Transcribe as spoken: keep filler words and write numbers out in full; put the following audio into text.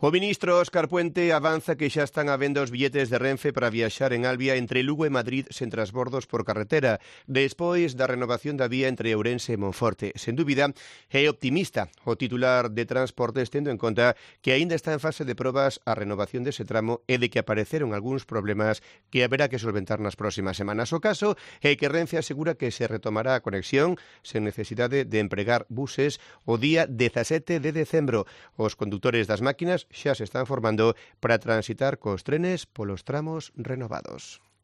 O ministro Óscar Puente avanza que xa están a venda os billetes de Renfe para viaxar en Albia entre Lugo e Madrid sen transbordos por carretera, despois da renovación da vía entre Ourense e Monforte. Sen dúbida, é optimista o titular de Transportes, tendo en conta que aínda está en fase de probas a renovación dese tramo e de que apareceron algúns problemas que haberá que solventar nas próximas semanas. O caso é que Renfe asegura que se retomará a conexión sen necesidade de empregar buses o día dezasete de decembro. Os condutores das máquinas xa se están formando para transitar cos trenes polos tramos renovados.